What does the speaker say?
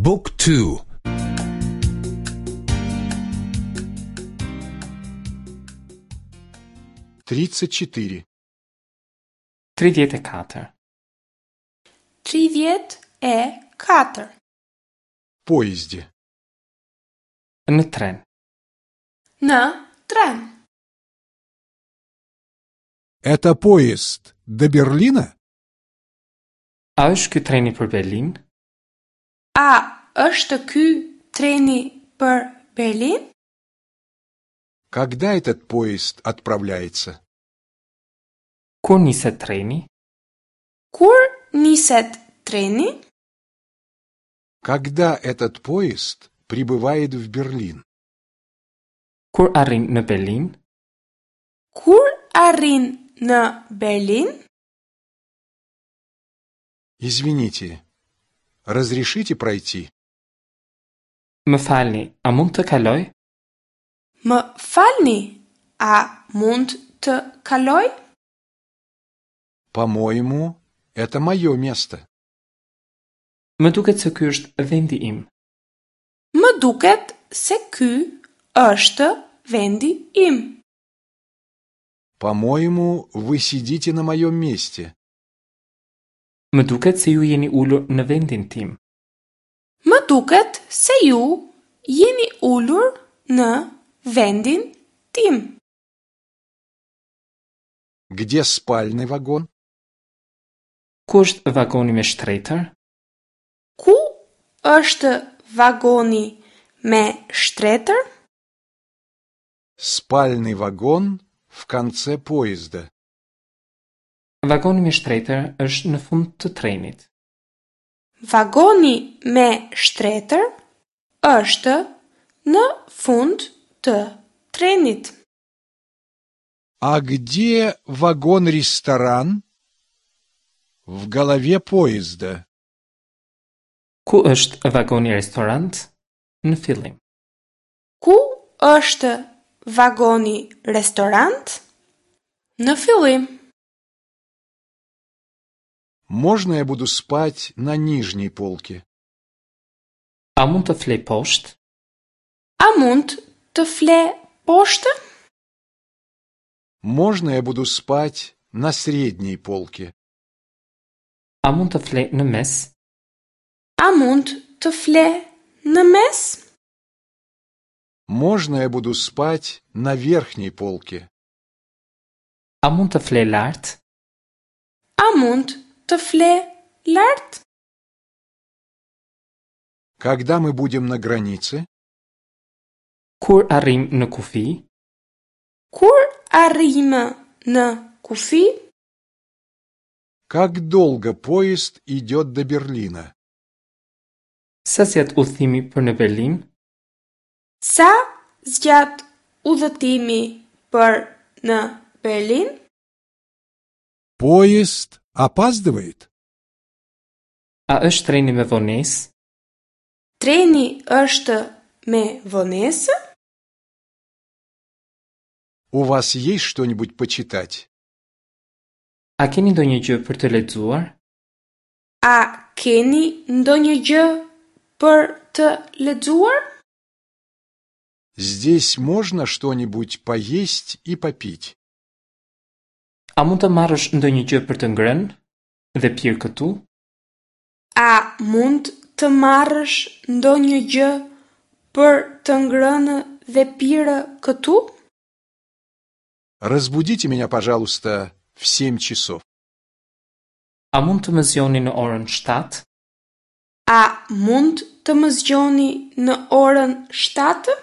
บุ๊กทู 34. 34. 34. Поезде. Në tren. Në tren. Это поезд до Берлина? A është ky treni për Berlin? A është ky treni për Berlin? Когда этот поезд отправляется? Kur niset treni? Kur niset treni? Когда этот поезд прибывает в Берлин? Kur arrin në Berlin? Kur arrin në Berlin? Извините, разрешите пройти? Më falni, a mund të kaloj? Më falni, a mund të kaloj? По-моему, это мое место. Më duket se ky është vendi im. Më duket se ky është vendi im. По-моему, вы сидите на моем месте. Më duket se ju jeni ulur në vendin tim. Më duket se ju jeni ulur në vendin tim. Где спальный вагон? Ku është vagoni me shtretër? Ku është vagoni me shtretër? Спальный вагон в конце поезда. Vagoni me shtretër është në fund të trenit. Vagoni me shtretër është në fund të trenit. А где вагон-ресторан? В голове поезда. Ku është vagoni restorant? Në fillim. Ku është vagoni restorant? Në fillim. Можно я буду спать на нижней полке? A mund të flej poshtë? A mund të fle poshtë? Можно я буду спать на средней полке? A mund të flej në mes? A mund të fle në mes? Можно я буду спать на верхней полке? A mund të flej lart? A mund të fle lart? Когда мы будем на границе? Kur arrim në kufi? Kur arrijmë në kufi? Как долго поезд идет до Берлина? Sa zgjat udhëtimi për në Berlin? Sa zgjat udhëtimi për në Berlin? Поезд опаздывает? A është treni me vonesë? Treni është me vonesë? У вас есть что-нибудь почитать? A keni ndonjë gjë për të lexuar? A keni ndonjë gjë për të lexuar? Здесь можно что-нибудь поесть и попить? A mund të marrësh ndonjë gjë për të ngrënë dhe pirë këtu? A mund të marrësh ndonjë gjë për të ngrënë dhe pirë këtu? Разбудите меня, пожалуйста, в семь часов. A mund të më zgjoni në orën 7? A mund të më zgjoni në orën 7?